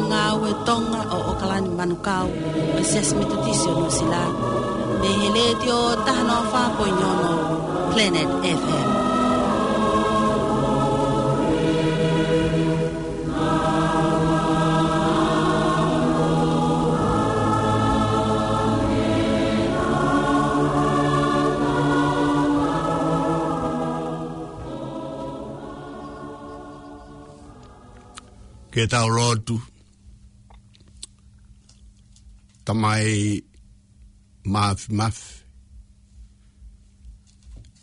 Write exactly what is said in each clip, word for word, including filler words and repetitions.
Ngāue Tonga ʻo ʻOkalani Manukau, ʻo e Siasi Metotisi ʻo Nuʻusila, mei he Letiō taha noa fā poini ono Planet F M. Ke tau lotu. Tamai Mafimafi,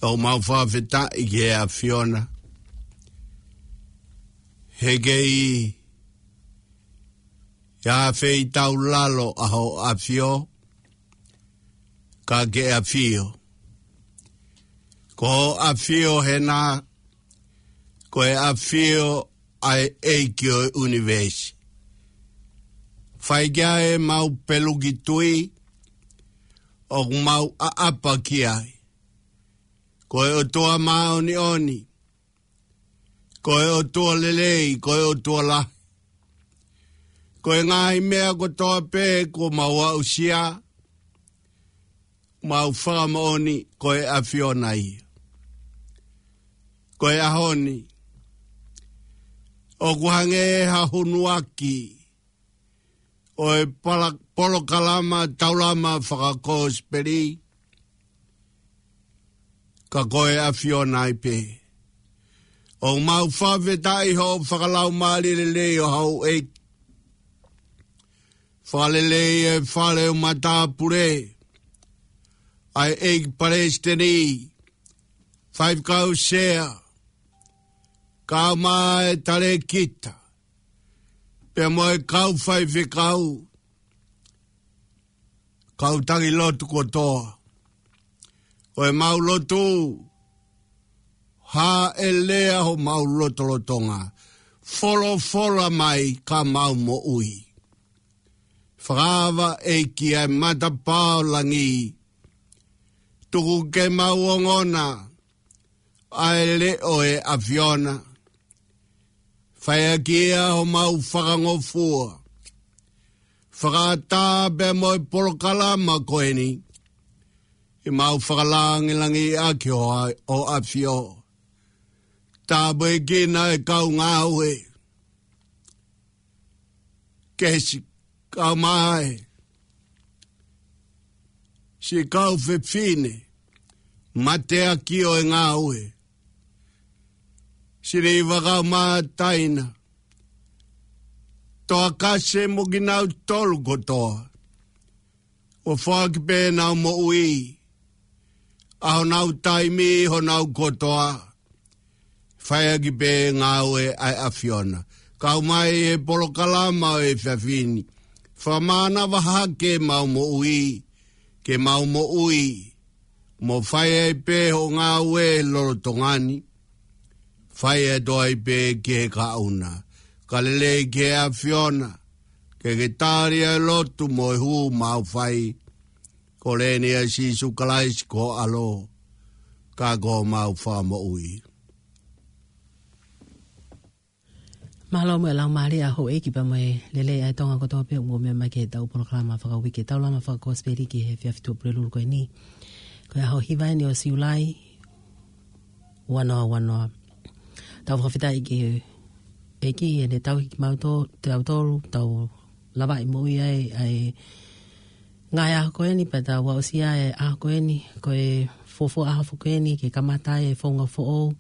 ʻoku mau fakafetaʻi ki he ʻAfiona, he ʻikai ha feitaulalo ʻa hoʻo ʻafio, ka ke ʻafio. Ko hoʻo ʻafio hena, ko e ʻafio ʻa e ʻEiki ʻo e ʻunivēsi. Fai ki ai ʻemau peluki tui, ʻoku mau ʻaʻapa ki ai. Ko e ʻOtua māʻoniʻoni, ko e ʻOtua lelei, ko e ʻOtua lahi. Ko e ngaahi meʻa kotoa pē kuo mau aʻusia, mau fakamoʻoni ko e ʻAfiona ia. Ko e ʻaho ni, ʻoku hangē ha hunuaki ʻo e pala-, polokalama taulama fakakosipeli, ka ko e ʻAfiona ai pē. ʻOku mau fakafetaʻi hoʻo fakalaumālie lelei ʻo hau ʻEiki. Fakalelei e fale ʻo matāpule, ʻa e ʻEiki Palesiteni, Faifekau Sea, kae ʻumaʻā e talēkita, pea mo e kau faifekau, kau taki lotu kotoa. Ko ʻemau lotu, hāʻele ʻa homau lotolotonga, folofola mai ka mau moʻui. Fakaava ʻEiki ʻa e matapā ʻo langi, tuku ke mau ongona ʻa e leʻo ʻo e ʻAfiona. Fai ʻaki ia homau fakangofua. Fakaʻatā pea mo e polokalama ko eni, ʻi mau fakalāngilangiʻi ʻaki hoʻo ʻa-, hoʻo ʻAfio. Tāpuekina e kau ngāue. Ke siʻi kau mai, siʻi kau fefine, mateaki ʻo e ngāue. Siʻi Liva kae ʻumaʻā Taina, Toakase mo kinautolu kotoa. ʻO foaki pē ʻenau moʻui, ʻa honau taimi, honau kotoa. Fai ʻaki pē ngāue ʻa e ʻAfiona. Kau mai he polokalama ʻo e efiafi ni. Fakamānava hake ʻemau moʻui, ke mau moʻui, mo fai ai pē hoʻo ngāue lolotonga ni. Fai atu ai pē ki he kaʻuna. Ka lelei ki he ʻAfiona, ke ke tali ʻa e lotu mo e hū mau fai. Ko e lea ni ʻa Sīsū Kalaisi ko ho ʻAlo, ka ko homau Fakamoʻui. Mālō mo e laumālie ʻa houʻeiki pea mo e lelei ʻa e Tonga kotoa pē ʻoku mou meʻa mai ki heʻetau polokalama fakauike, taulama fakakosipeli ki he efiafi Tuʻapulelulu ko eni. Ko e ʻaho hiva eni ʻo Siulai, ua noa ua noa. Tau fakafetaʻi ki he ʻEiki heʻene tauhi kimautolu, tautolu, tau lavaʻi moʻui ai ʻa e ngaahi ʻaho ko eni, pea tau aʻusia e ʻaho ko eni, ko e fuofua ʻaho foki eni ke kamata ai e founga foʻou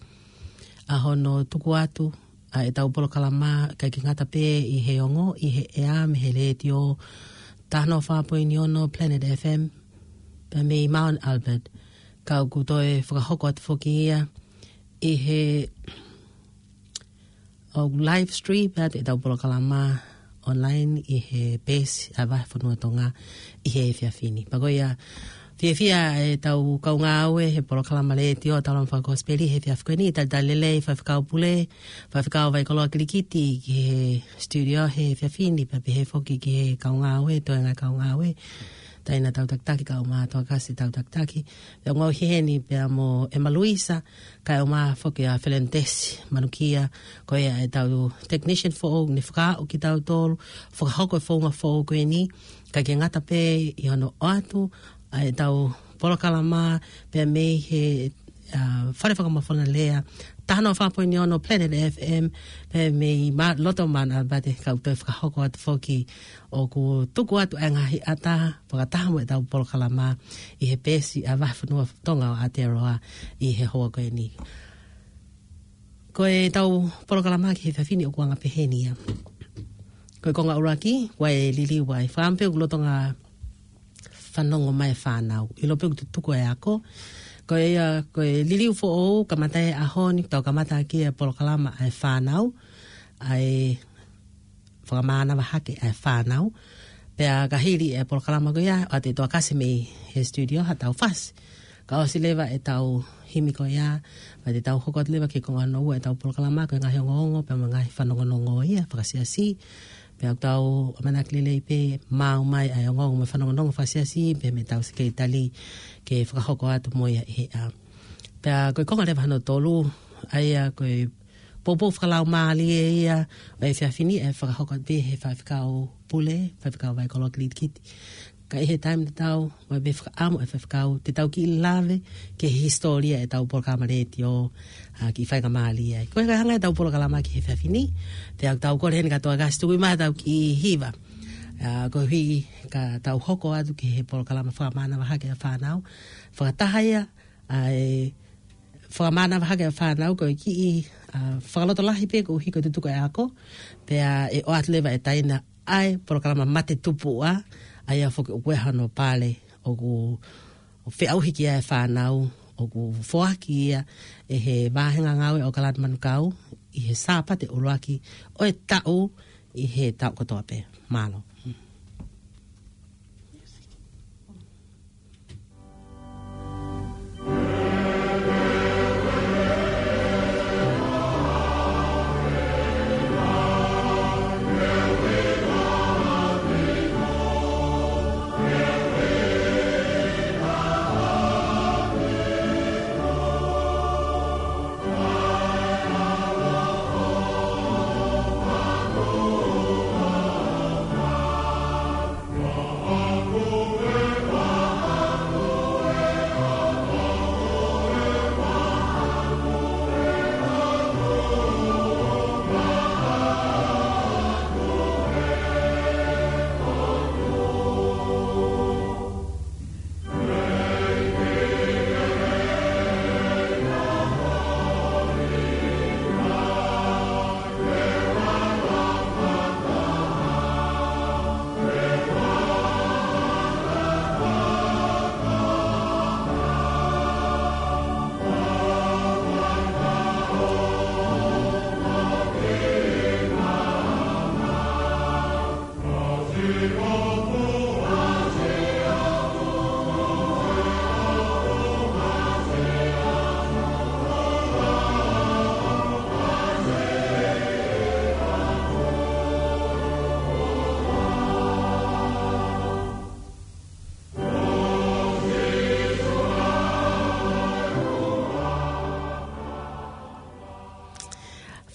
ʻa hono tuku atu ʻa ʻetau polokalama, ʻikai ke ngata pē ʻi he ongo, ʻi he ʻea mei he Letiō taha noa fā poini ono Planet F M, pea mei Mount Albert, ka ʻoku toe fakahoko atu foki ia ʻi he ʻoku live stream atu ʻetau polokalama online ʻi he peesi ʻa e Vahefonua Tonga ʻi he efiafi ni. Pea ko ia, fiefia ʻetau kau ngāue he polokalama letiō taulama fakakosipeli he efiafi ko eni, talitali lelei Faifekau Pule, Faifekau Vaikoloa Kilikiti ki he studio he efiafi ni, pea pehē foki ki he kau ngāue, toenga kau ngāue. Taina Tautakitaki, kae ʻumaʻā Toakasi Tautakitaki. Pea ʻoku ou ʻi heni pea mo ʻEma Luisa, kae ʻumaʻā foki ʻa Felentesi Manukia, ko ia ʻetau technician foʻou ne fakaaʻu kitautolu, fakahoko e founga foʻou ko eni, kae ʻikai ke ngata pē ʻi hono ʻoatu ʻa ʻetau polokalama pea mei he, ʻa, Fale Fakamafola Lea, taha noa fā poini ono Planet F M, pea mei ma-, loto Mount ʻAlapate, kae toe fakahoko atu foki ʻoku tuku atu ʻa e ngaahi ʻata fakataha mo ʻetau polokalama ʻi he peesi ʻa e Vahefonua Tonga ʻo Aotearoa ʻi he houa ko eni. Ko ʻetau polokalama ki he efiafi ni ʻoku anga pehē ni ia. Ko e konga ʻuluaki, ʻoku ʻi ai e liliu ʻa e fāmili pea ʻoku lolotonga fanongo mai e fānau. ʻIlo pē ʻoku tutuku e ako. Ko ia, ko e liliu foʻou, kamata he ʻaho ni, tau kamata ʻaki e polokalama ʻa e fānau, ʻa e fakamānava hake ʻa e fānau. Pea ka hili e polokalama ko ia, ʻoatu ʻe Toakasi mei he studio haʻatau fasi. Ka ʻosi leva ʻetau himi ko ia, pea te tau hoko atu leva ki he konga hono ua ʻetau polokalama, ko e ngaahi ongoongo, pea mo e ngaahi fanongonongo ia fakasiasi. Pea ʻoku tau ʻamanaki lelei pē maʻu mai ʻa e ongoongo mo e fanongonongo fakasiasi, pea mei heʻetau sekelitali ke fakahoko atu mo ia ʻi he ʻaho. Pea ko e konga leva hono tolu, ʻa ia ko e poupou fakalaumālie ia ʻo e efiafi ni ʻe fakahoko atu pē he faifekau pule, faifekau Vaikolo Kilitikiti. Ka ʻi he taimi tatau, ʻoku ʻi ai pē fakaʻamu ʻa e faifekau, te tau kiʻi lave ki he hisitōlia ʻetau polokalama letiō, ʻa, kiʻi faingamālie ai. Ko e hanga ʻetau polokalama ki he efiafi ni, pea ʻoku tau kole heni kia Toakasi tuku mai ʻetau kiʻi hiva. ʻA, koeʻuhi ka tau hoko atu ki he polokalama fakamānava hake ʻa e fānau. Fakataha ia, ʻa e fakamānava hake ʻa e fānau ko e kiʻi, ʻa, fakalotolahi pē koeʻuhi ko e tutuku e ako, pea ʻe ʻoatu leva ʻe Taina ʻa e polokalama Mate Tupuʻa, ʻa ia foki ʻoku ʻi ai hano pale ʻoku feʻauhi ki ai e fānau, ʻoku foaki ia ʻe he Vāhenga Ngāue ʻAokalani Manukau ʻi he Sāpate ʻuluaki ʻo e taʻu ʻi he taʻu kotoa pē. Mālō.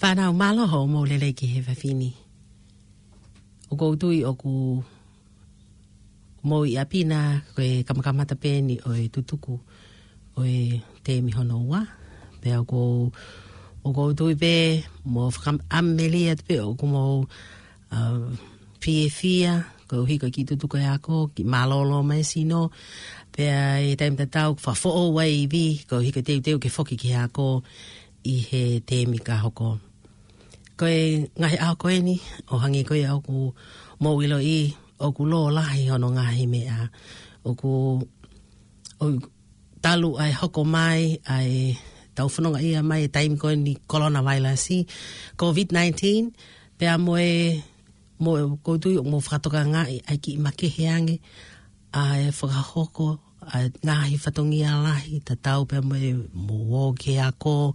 Fānau, mālō hoʻomou lelei ki he efiafi ni. ʻOku ou tui ʻoku mou ʻi ʻapi na, ko e kamakamata pē eni ʻo e tutuku ʻo e teemi hono ua. Pea ʻoku ou, ʻoku ou tui pē mo fakaʻamu lelei atu pē ʻoku mou, ʻa, fiefia koeʻuhi ko e kiʻi tutuku e ako, kiʻi mālōlō mai e sino. Pea ʻi he taimi tatau, fakafoʻou ai e ivi, koeʻuhi ko e teuteu ke foki ki he ako ʻi he teemi ka hoko. Ko e ngaahi ʻaho ko eni, ʻo hangē ko ia ʻoku mou ʻiloʻi, ʻoku lōlahi hono ngaahi meʻa, ʻoku, ʻo talu ai e hoko mai ʻa e tau fononga ia mai e taimi ko eni coronavirus, COVID nineteen, pea mo e, mo e ʻoku ou tui ʻoku mou fakatokangaʻi ʻa e kiʻi makehe ange ʻa e fakahoko ʻa e ngaahi fatongia lahi, tatau pē mo e mou ō ki he ako,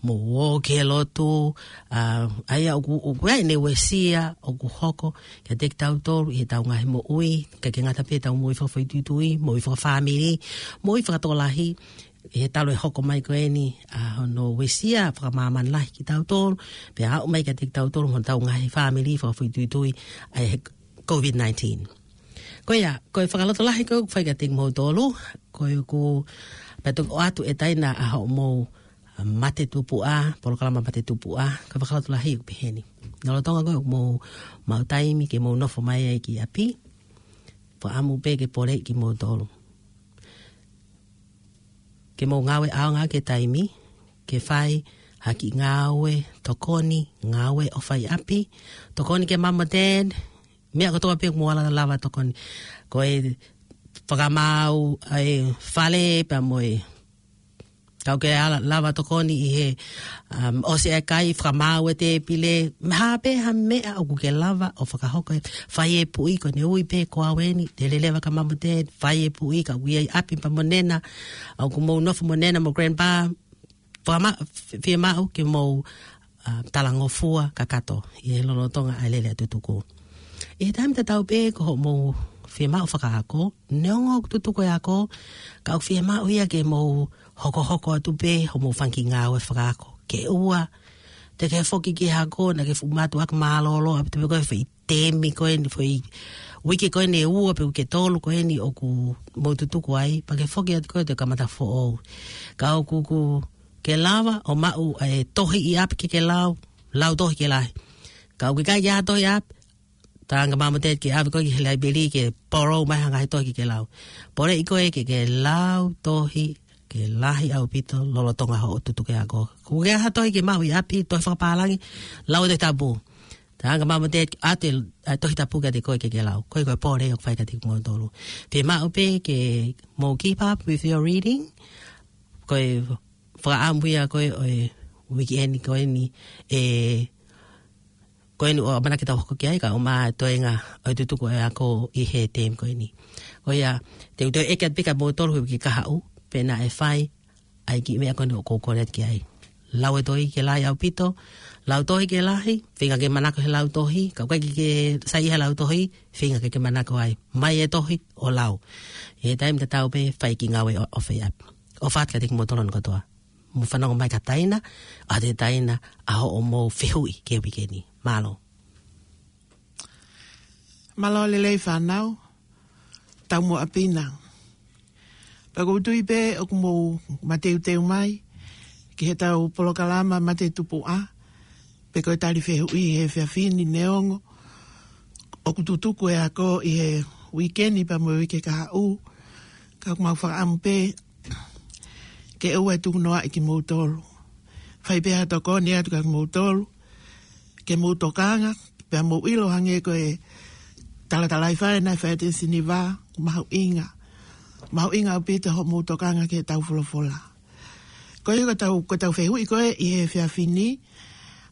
mou ō ki he lotu, ʻa, ʻa ia ʻoku, ʻoku ʻi ai ʻene uesia, ʻoku hoko kiate kitautolu ʻi heʻetau ngaahi moʻui, ʻikai ke ngata pē ʻetau moʻui fakafoʻituitui, moʻui fakafāmili, moʻui fakatokolahi, ʻi he talu e hoko mai ko eni ʻa hono uesia fakamāmani lahi kitautolu, pea aʻu mai kiate kitautolu mo hotau ngaahi fāmili fakafoʻituitui ʻa e COVID nineteen. Ko ia, ko e fakalotolahi ko ē ʻoku fai kiate kimoutolu, ko ʻeku pea toki ʻoatu e taina ʻa hoʻomou, ʻa, mate tupuʻa, polokalama mate tupuʻa, ko e fakalotolahi ʻoku peheni. Lolotonga ko ē ʻoku mou maʻu taimi ke mou nofo mai ai ki ʻapi, fakaʻamu pē ke poleʻi kimoutolu. Ke mou ngāue ʻaonga ki he taimi, ke fai ha kiʻi ngāue tokoni, ngāue ʻofa ʻi ʻapi, tokoni kia mum mo dad, meʻa kotoa pē ʻoku mou ala lava tokoni. Ko e fakamaau ʻa e fale pea mo e, kau ke ala lava tokoni ʻi he, um, ʻosi e kai, fakamaau e tēpile, ha pē ha meʻa ʻoku ke lava ʻo fakahoko, fai e puʻi, ko ʻene ui pē ko au eni, te leleva kia mum mo dad, fai e puʻi, ka ui ai ʻapi pea mo nena, ʻoku mou nofo mo nena mo grandpa, fakama-, f-, fiemaʻu ke mou, ʻa, talangofua kakato ʻi he lolotonga ʻa e lele ʻa e tutuku. ʻI he taimi tatau pē ko hoʻomou fiemaʻu fakaako, neongo ʻoku tutuku e ako, ka ʻoku fiemaʻu ia ke mou hokohoko atu pē hoʻomou fanga kiʻi ngāue fakaako. Ke ʻoua te ke foki ki he ako naʻa ke fuʻu mātuʻaki mālōlō ʻaupito pē ko e foʻi temi ko eni, foʻi uike ko eni ʻe ua pe uike tolu ko eni ʻoku mou tutuku ai, pea ke foki atu ko ē ʻo kamata foʻou. Ka ʻoku, ʻoku ke lava ʻo maʻu e tohi ʻi ʻapi ke ke lau, lau tohi ke lahi. Ka ʻoku ʻikai ke ʻi ai ha tohi ʻi ʻapi, talaange kia mum mo dad ke ʻave koe ki he laipeli ke polo mai ha ngaahi tohi ke ke lau. Poleʻi koe ke ke lau tohi ke lahi ʻaupito lolotonga hoʻo tutuku e ako. Ko e hā e tohi ke maʻu ʻi ʻapi, tohi fakapālangi, lau e Tohi Tapu. Talaange kia mum mo dad, ʻoatu e, ʻa e Tohi Tapu kiate koe ke ke lau. Ko e, ko e pole ʻoku fai kiate kimoutolu. Fiemaʻu pē ke mou keep up with your reading. Ko e fakaʻamu ia ko ē ʻo e weekend ko eni, ʻe, ko eni ʻoku ʻamanaki ke tau hoko ki ai, kae ʻumaʻā e toenga ʻo e tutuku e ako ʻi he temi ko eni. Ko ia, te u toe ʻeke atu pē kia moutolu he uike kahaʻu, pe naʻe fai ʻa e kiʻi meʻa ko eni ʻoku ou kole atu ki ai. Lau e tohi ke lahi ʻaupito, lau tohi ke lahi, feinga ke manako he lau tohi, ka ʻoku ʻikai ke ke saiʻia he lau tohi, feinga ke ke manako ai. Maʻu e tohi, ʻo lau. ʻI he taimi tatau pē, fai e kiʻi ngāue ʻo, ʻofa ʻi ʻapi. ʻOfa atu kiate kimoutolu hono kotoa. Mou fanongo mai ki ha taina, ʻoatu e taina ʻa hoʻomou fehuʻi ki he uike ni. Mālō. Mālō e lelei fānau, tau mo ʻapi na. Pea ʻoku ou tui pē ʻoku mou mateuteu mai ki heʻetau polokalama mate tupuʻa, pe ko e tali fehuʻi he efiafi ni neongo ʻoku tutuku e ako ʻi he uike ni pea mo e uike kahaʻu, ka ʻoku mau fakaʻamu pē ke ʻoua ʻe tukunoaʻi kimoutolu. Fai pē ha tokoni atu kia kimoutolu, ke mou tokanga, pea mou ʻilo hangē ko e talatalaifale naʻe fai ʻe Siniva, mahuʻinga. Mahuʻinga ʻaupito hoʻomou tokanga ki heʻetau folofola. Ko ia ko ʻetau, ko ʻetau fehuʻi ko ē ʻi he efiafi ni,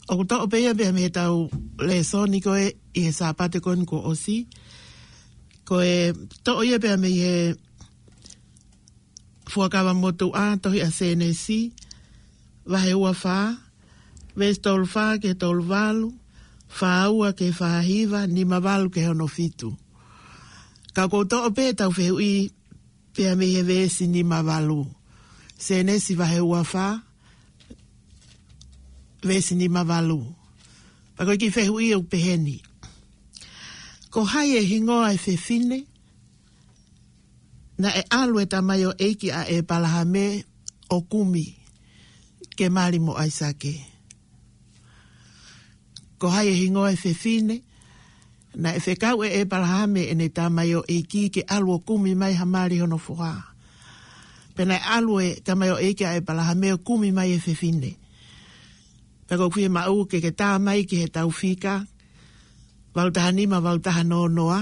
ʻoku toʻo pē ia pea mei heʻetau lēsoni ko ē ʻi he Sāpate ko eni kuo ʻosi. Ko e toʻo ia pea mei he Fuakava Motuʻa, tohi ʻa Sēnesi, vahe ua fā, veesi tolu fā ki he tolu valu, fā ua ki he fā hiva, nima valu ki he ono fitu. Ka ʻoku ou toʻo pē ʻetau fehuʻi pea mei he veesi nima valu. Sēnesi vahe ua fā, veesi nima valu. Pea ko e kiʻi fehuʻi ʻoku peheni. Ko hai e hingoa e fefine naʻe ʻalu e tamaioʻeiki ʻa ʻEpalahame ʻo kumi ke mali mo ʻAisake? Ko hai e hingoa e fefine naʻe fekau ʻe ʻEpalahame ʻene tamaioʻeiki ke ʻalu ʻo kumi mai ha mali hono foha? Pea naʻe ʻalu e tamaioʻeiki ʻa ʻEpalahame ʻo kumi mai e fefine. Pea ʻoku ou fiemaʻu ke ke tā mai ki heʻetau fika valu taha nima, valu taha noa noa,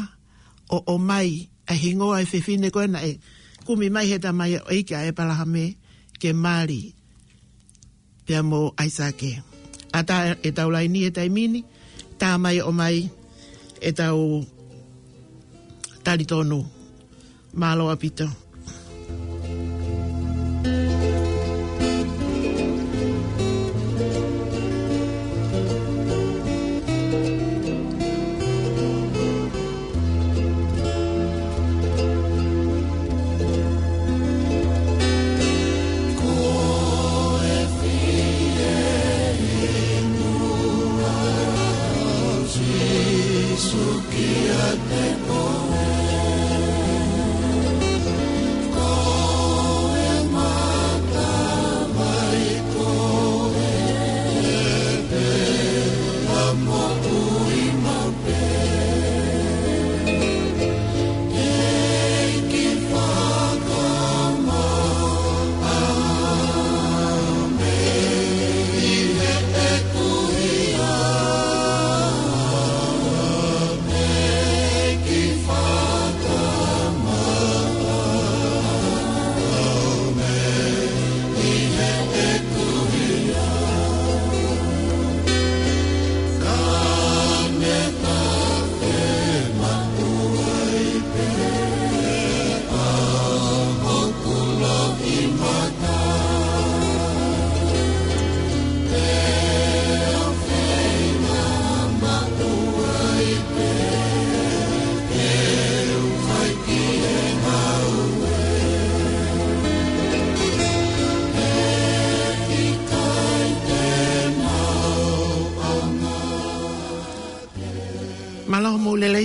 ʻo ʻomai ʻa e hingoa e fefine ko ē naʻe kumi mai he tamaioʻeiki ʻa ʻEpalahame ke mali pea mo ʻAisake. ʻAtā ʻetau laini he taimi ni, tā mai ʻo ʻomai ʻetau talitonu. Mālō ʻaupito.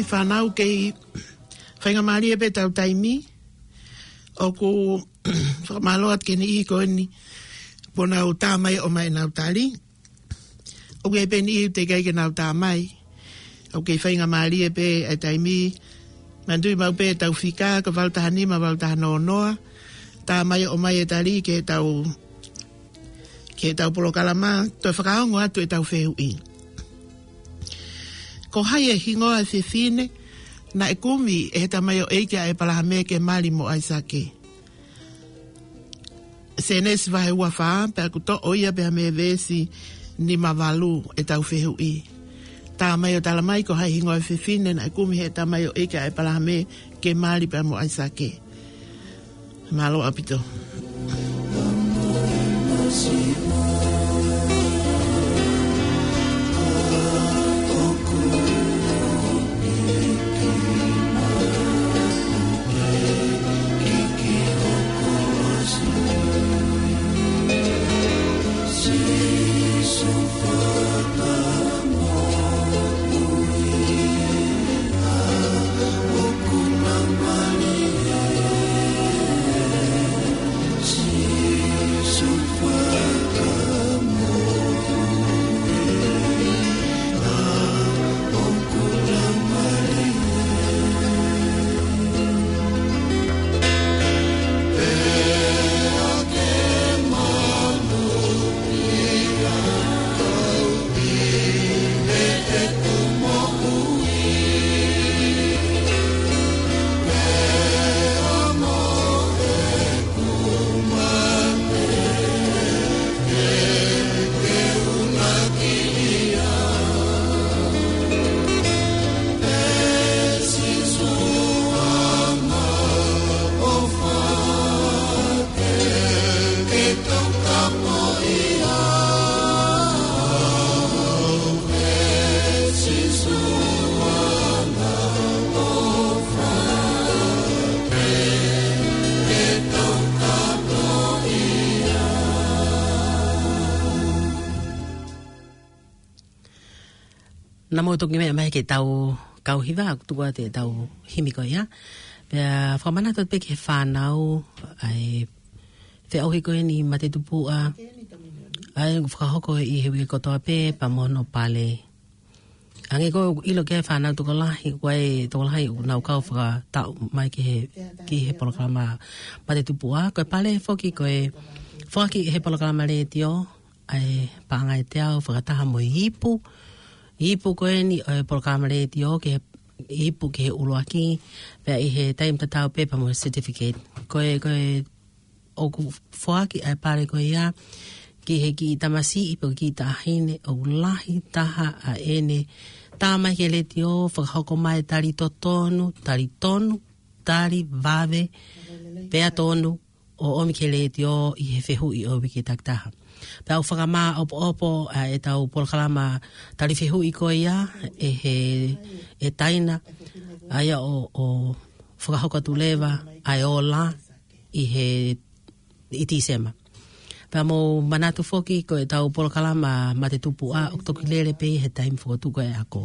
Fānau, kei faingamālie pē ʻetau taimi. ʻOku fakamālō atu ki he niʻihi ko eni kuo nau tā mai ʻo ʻomai ʻenau tali. ʻOku ʻi ai pē niʻihi teʻeki ai ke nau tā mai. ʻOku kei faingamālie pē ʻa e taimi. Manatuʻi maʻu pē ʻetau fika, ko e valu taha nima, valu taha noa noa. Tā mai ʻo ʻomai e tali ki heʻetau, ki heʻetau polokalama, toe fakaongo atu ʻetau fehuʻi. Ko hai e hingoa e fefine naʻe kumi ʻe he tamaioʻeiki ʻa ʻEpalahame ke mali mo ʻAisake? Sēnesi vahe ua fā, pea ʻoku toʻo ia pē mei he veesi nima valu ʻetau fehuʻi. Tā mai ʻo tala mai ko hai e hingoa e fefine naʻe kumi ʻe he tamaioʻeiki ʻa ʻEpalahame ke mali pea mo ʻAisake. Mālō ʻaupito. Naʻa mou toki meʻa mai ki heʻetau kau hiva, ʻoku tuku atu ʻetau himi ko ia. Pea fakamanatu atu pē ki he fānau, ʻa e feʻauhi ko eni mate tupuʻa, ʻa ia ʻoku fakahoko ʻi he uike kotoa pē, pea mo hono pale. Hangē ko e ʻilo ki he fānau tokolahi, ko e tokolahi ʻoku nau kau fakataʻu mai ki he, ki he polokalama mate tupuʻa. Ko e pale foki ko e foaki ʻe he polokalama letiō, ʻa e paʻanga ʻe teau fakataha mo e ipu. Ipu ko eni ʻo e polokalama letiō ki he, ipu ki he ʻuluaki, pea ʻi he taimi tatau pē pea mo e certificate. Ko e, ko e ʻoku foaki ʻa e pale ko ia ki he kiʻi tamasiʻi pe ko e kiʻi taʻahine ʻoku lahi taha ʻa ʻene tā mai ki he letiō, fakahoko mai tali totonu, tali tonu, tali vave, pea tonu, ʻo ʻomi ki he letiō ʻi he fehuʻi ʻo e uike takitaha. Pea ʻoku fakamāʻopoʻopo ʻa ʻetau polokalama tali fehuʻi ko ia ʻe he, ʻe Taina, ʻa ia ʻo, ʻo fakahoko atu leva ʻa e ola ʻi he, ʻi Tīsema. Pea mou manatu foki ko ʻetau polokalama mate tupuʻa ʻoku toki lele pē ʻi he taimi fokotuʻu ko ē ʻa e ako.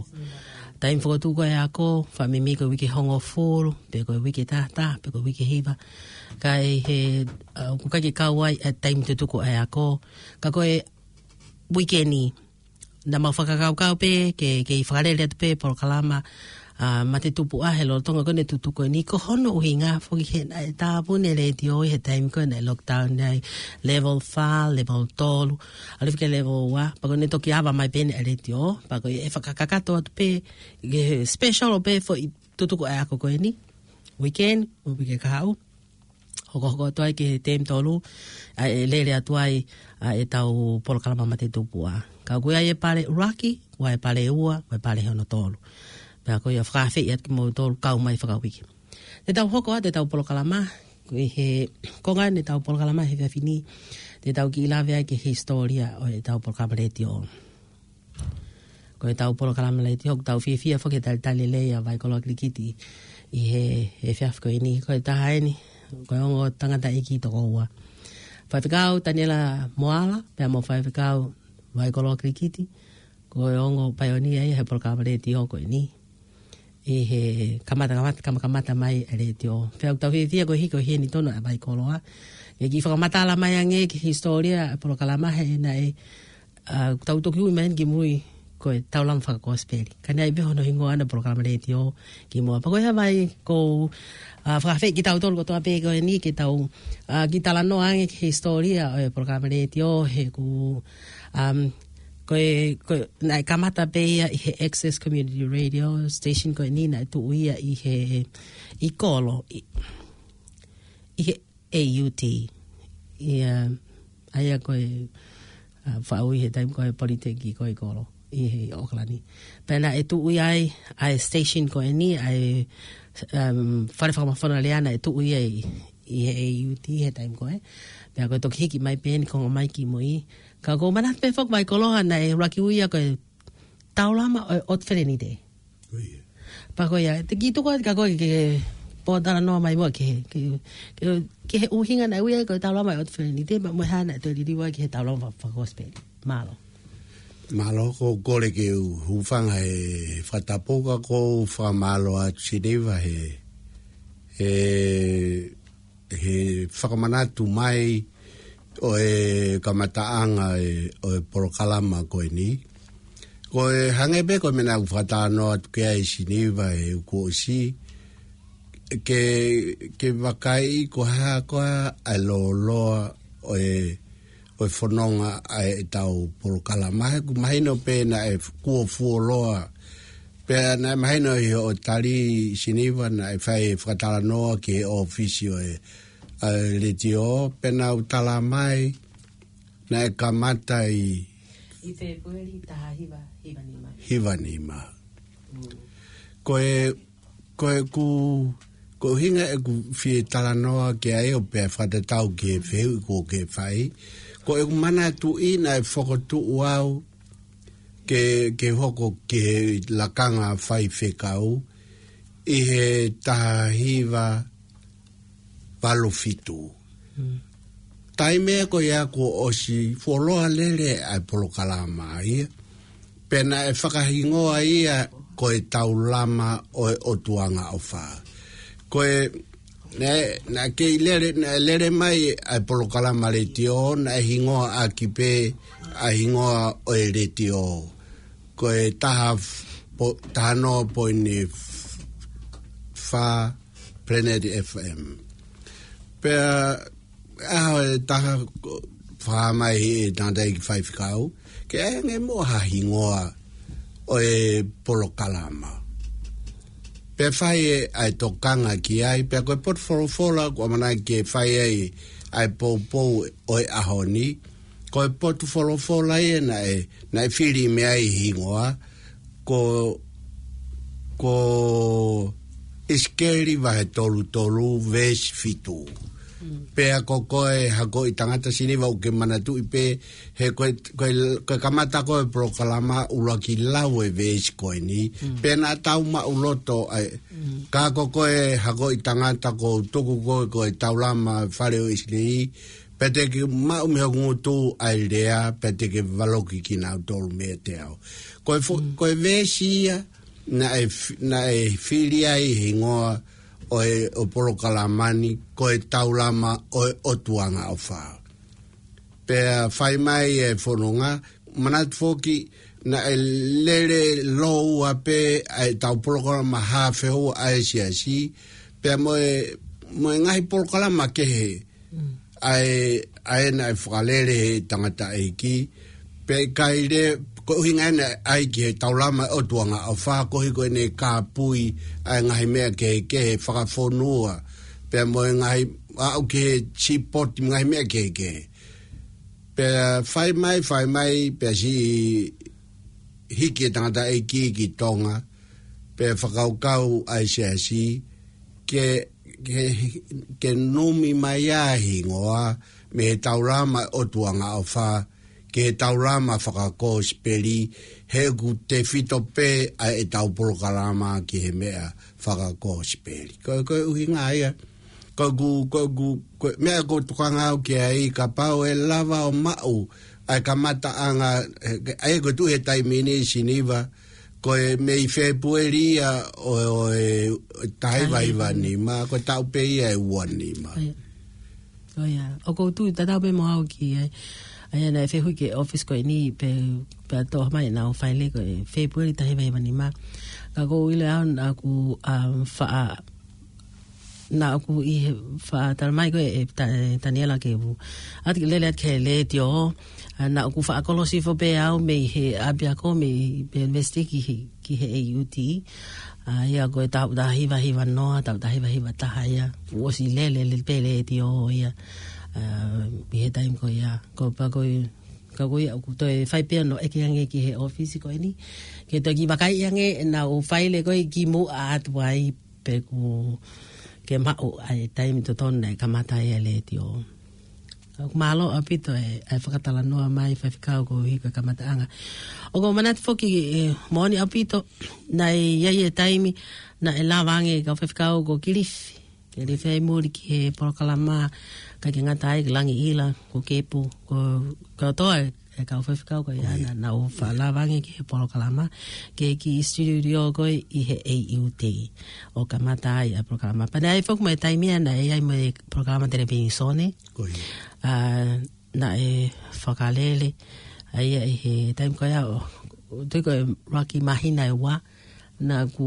Taimi fokotuʻu ko ē ʻa e ako, faʻa meimei ko e uike hongofulu, pe ko e uike tahataha, pe ko e uike hiva. Ka ʻi he, ʻa, ʻoku ʻikai ke kau ai ʻa e taimi tutuku ʻa e ako. Ka ko e uike ni, naʻa mau fakakaukau pē ke, ke fakalele atu pē polokalama, ʻa, mate tupuʻa he lolotonga ko eni tutuku ko eni, ko hono ʻuhinga foki he naʻe tāpuni e letiō ʻi he taimi ko ē naʻe lockdown ai, level fā, level tolu, ʻalu hifo ki he level ua, pea ko eni toki ava mai pē eni e letiō, pea ko e fakakakato atu pē, ke special ʻo pē foʻi tutuku ʻa e ako ko eni, weekend, ʻo pē ke kahaʻu. Hokohoko atu ai ki he taimi tolu, ʻa e lele atu ai ʻa ʻetau polokalama mate tupuʻa. Ka ʻoku ʻi ai e pale ʻuluaki, ʻoku ʻi ai e pale ua, ʻoku ʻi ai e pale hono tolu. Pea ko ia fakaafeʻi atu kimoutolu kau mai fakauike. Te tau hoko atu ʻetau polokalama, ko e he konga ʻetau polokalama he efiafi ni, te tau kiʻi lave ai ki he hisitōlia ʻo ʻetau polokalama letiō. Ko ʻetau polokalama letiō, ʻoku tau fiefia foki he talitali lelei ʻa Vaikoloa Kilikiti ʻi he, he efiafi ko eni, ko e taha eni, ko e ongo tangataʻeiki toko ua. Faifekau Taniela Moala, pea mo Faifekau Vaikoloa Kilikiti, ko e ongo paionia ia he polokalama letiō ko eni. ʻi he kamata, kamata, kama-, kamata mai e letiō. Pea ʻoku tau fiefia ko e hiki ʻo heni tonu ʻa Vaikoloa ke kiʻi fakamatala mai ange ki he hisitōlia e polokalama he naʻe, ʻa, tau toki ui mai ki mui ko e Taulama Fakakosipeli. Ka naʻe ʻi ai pē hono hingoa ʻana polokalama letiō kimuʻa. Pea ko ia Vai ʻoku, ʻa, fakaafeʻi kitautolu kotoa pē ko eni ke tau, ʻa, kiʻi talanoa ange ki he hisitōlia ʻo e polokalama letiō he ʻoku, um, ko e, ko e, naʻe kamata pē ia ʻi he Access Community Radio Station ko eni naʻe tuʻu ia ʻi he, ʻi Kolo, ʻi, ʻi he A U T. ʻIa, ʻa ia ko e, ʻa, faʻu ʻi he taimi ko e Politeki ko e Kolo, ʻi he ʻOkalani. Pea naʻe tuʻu ia ai, ʻa e station ko eni, ʻa e, um, fale fakamafonolea naʻe tuʻu ia ʻi, ʻi he A U T he taimi ko ē. Pea ko e toki hiki mai pē eni ko e ongo mai ki mui. Ka ʻoku ou manatu pē foki Vaikoloa naʻe ʻuluaki ui ia ko e Taulama ʻo e ʻOtu Felenite. ʻIo. Pea ko ia, te u kiʻi tuku atu kia koe ke ke pōtalanoa mai muʻa ki he, ki he, ki he, ki he ʻuhinga naʻe ui ai ko e Taulama ʻo e ʻOtu Felenite, pea mo e hā naʻe toe liliu ai ki he Taulama Fa-, Fakakosipeli. Mālō. Mālō, ʻoku ou kole ke u hūfanga he fakatapu ka ʻoku ou fakamālō atu Siniva he, he he fakamanatu mai ʻo e kamataʻanga e, ʻo e polokalama ko eni. Ko e hangē pē ko e meʻa naʻa ku fakatalanoa atu ki ai Siniva he uike kuo ʻosi, ke, ke vakai ko e hā koā ʻa e lōloa ʻo e, ʻo e fononga ʻa ʻetau polokalama. He ʻoku mahino pē naʻe kuo fuoloa. Pea naʻe mahino ʻi hoʻo tali Siniva naʻe fai fakatalanoa ki he ʻōfisi ʻo e, ʻa e letiō, pea naʻa ku tala mai naʻe kamata ʻi ʻi Fēpueli taha hiva, hiva nima. Hiva nima. Mm. Ko e, ko ʻeku, ko e ʻuhinga ʻeku fie talanoa ki ai ʻo pea fakatatau ki he fehuʻi kuo ke fai. Ko ʻeku manatuʻi naʻe fokotuʻu au ke, ke hoko ki he lakanga faifekau ʻi he taha hiva valu fitu. Mm. Taimi ko ia kuo ʻosi fuoloa lele ʻa e polokalama ia. Pea naʻe fakahingoa ia ko e Taulama ʻo e ʻOtu Angaʻofa. Ko e, naʻe, naʻe kei lele, naʻe lele mai ʻa e polokalama letiō, naʻe hingoa ʻaki pē ʻa e hingoa ʻo e letiō. Ko e taha f-, po-, taha noa poini f-, fā Planet F M. Pea, ʻaho ʻe taha ko, fai mai ʻe he tangataʻeiki faifekau, ke ʻai ange muʻa ha hingoa ʻo e polokalama. Pea fai ʻe, ʻa e tokanga ki ai, pea ko e potu folofola, ʻoku ʻamanaki ke fai ai ʻa e poupou ʻo e ʻaho ni. Ko e potu folofola ia naʻe, naʻe fili mei ai hingoa, ko, ko ʻIsikeli vahe tolu tolu veesi fitu. Mm. Pea ko koe hakoʻi tangata Siniva ʻoku ke manatuʻi pē, he ko e, ko e, ko e kamata ko e polokalama ʻuluaki lau e veesi ko eni. Mm. Pea naʻa tau maʻuloto ai. Mm. Ka ko koe hakoʻi tangata ʻoku tuku koe ko e Taulama Fale ʻo ʻIsileli, pea te ke maʻu mei hoku ngutu ʻa e lea, pea te ke valoki kinautolu meiate au. Ko e fo-, mm, ko e veesi ia, naʻe f-, naʻe fili ai hingoa ʻo e, ʻo e polokalama ni, ko e Taulama ʻo e ʻOtu Angaʻofa. Pea fai mai e fononga, manatu foki, naʻe lele lōua pē ʻa ʻetau polokalama haafe houa ʻa e siasi, pea mo e, mo e ngaahi polokalama kehe, mm, ʻa e, ʻa e naʻe fakalele he tangataʻeiki, pea ʻikai lea, ko e ʻuhinga ena ʻai ki he Taulama ʻo e ʻOtu Angaʻofa, koeʻuhi ko ʻene kāpui ʻa e ngaahi meʻa kehekehe fakafonua, pea mo e ngaahi aʻu ki he sipoti ngaahi meʻa kehekehe. Pea fai mai, fai mai, pea siʻi hiki e tangataʻeiki ki Tonga, pea fakakaukau ʻa e siasi, ke, ke, ke numi mai ʻa e hingoa, mei he Taulama ʻo e ʻOtu Angaʻofa, ki he Taulama Fakakosipeli, he ʻoku tefito pē ʻa ʻetau polokalama ki he meʻa fakakosipeli. Ko, ko e ʻuhinga ia, ko ʻeku, ko ʻeku, ko e meʻa ʻoku ou tokanga au ki ai, kapau ʻe lava ʻo maʻu ʻa e kamataʻanga, ʻa ia ko e tuʻu he taimi ni Siniva, ko e mei Fēpueli ia ʻo, ʻo e, ʻo e taha hiva hiva nima, ko e taʻu pē ia ʻe ua nima. ʻOku ou tui tatau pē mo au ki ai. ʻA ia naʻe fehuʻi ki he ʻōfisi ko eni pe, pe ʻe toʻo mai ʻenau faile ko e Fēpueli taha hiva hiva nima. Ka ʻoku ou ʻilo au naʻa ku, um, faʻa, naʻa ku ʻi he faʻa tala mai ko e, e Ta-, e Taniela ke u ʻatu ke lele atu ki he letiō. ʻA, naʻa ku faʻa kolosi foki pē au mei he ʻapiako mei, mei he university ki he, ki he A U T. ʻA ia ko e taʻu taha hiva hiva noa, taʻu taha hiva hiva taha ia. Kuo ʻosi lele, lele pē letiō ia. ʻA, ʻi he taimi ko ia. Ko pea ko e, ka ko ia ʻoku toe fai pē ʻeku ʻeke ange ki he ʻōfisi ko eni. Ke toe kiʻi vakai ange ʻenau faile ko ē kimuʻa atu ai pe kuo ke maʻu ʻa e taimi totonu naʻe kamata ai ʻa e letiō. ʻOku mālō ʻaupito e, e fakatalanoa mai Faifekau koeʻuhi ko e kamataʻanga. ʻOku ou manatu foki, e, moʻoni ʻaupito, naʻe ʻi ai e taimi naʻe lava ange kau Faifekau ko Kilifi. Kilifi ʻi muli ki he polokalama, ʻikai ke ngata ai, ko Langiʻila, ko Kepu, ko, ko Toa, e kau Faifekau ko ia naʻa nau faʻa lava ange ki he polokalama, ke ki studio ko ē ʻi he A U T ʻo kamata ai ʻa e polokalama. Pea naʻe ʻi ai foki mo e taimi ia naʻe ʻi ai mo e polokalama televīsone. Ko ia. ʻA, naʻe fakalele. ʻA ia ʻi he taimi ko ia ʻo, ʻo tui ko e ʻuluaki māhina ʻe ua, naʻa ku,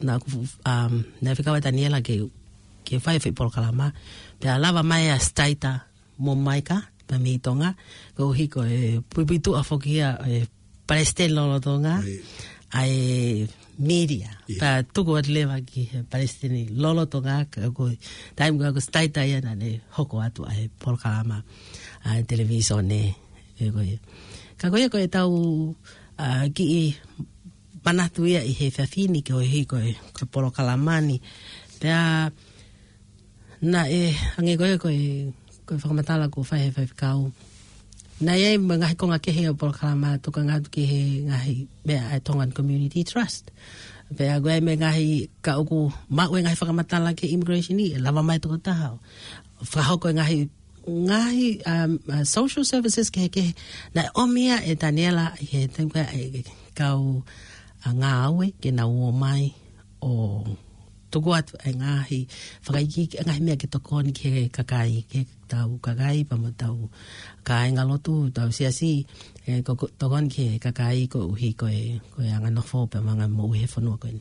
naʻa ku, um, naʻe fekau ʻe Taniela ke, ke fai e foʻi polokalama. Pea lava mai ʻa Staita mo Maika, pea mei Tonga, koeʻuhi ko e puipuituʻa foki ia e palesiteni lolotonga ʻa e media. Pea tuku atu leva ki he palesiteni lolotonga, ka ko e taimi ko ē ko Staita ia naʻa ne hoko atu ʻa e polokalama ʻa e televīsone, ʻe ko ia. Ka ko ia ko e tau, ʻa, kiʻi manatu ia ʻi he efiafi ni koeʻuhi ko e, ko e polokalama ni. Pea naʻe, hangē ko e, ko e, ko e fakamatala kuo fai he Faifekau. Naʻe ʻi ai mo e ngaahi konga kehe ʻo e polokalama, tokanga atu ki he ngaahi meʻa ʻa e Tongan Community Trust. Pea ko e meʻa ngaahi ka ʻoku maʻu e ngaahi fakamatala ki he immigration ʻi, ʻe lava mai tokotaha ʻo fakahoko e ngaahi, ngaahi, um, uh, social services kehekehe. Naʻe ʻomi ia ʻe Taniela ʻi he taimi ko ē e kau ʻa ngāue ke nau ō mai ʻo tuku atu e ngaahi fakaikiiki, e ngaahi meʻa ke tokoni ki he kakai, ki he tau kakai, pea mo e tau kāinga lotu, tau siasi, ʻe ko, ko, tokoni ki he kakai koeʻuhi ko e, ko e anga nofo pea mo e anga moʻui he fonua ko eni.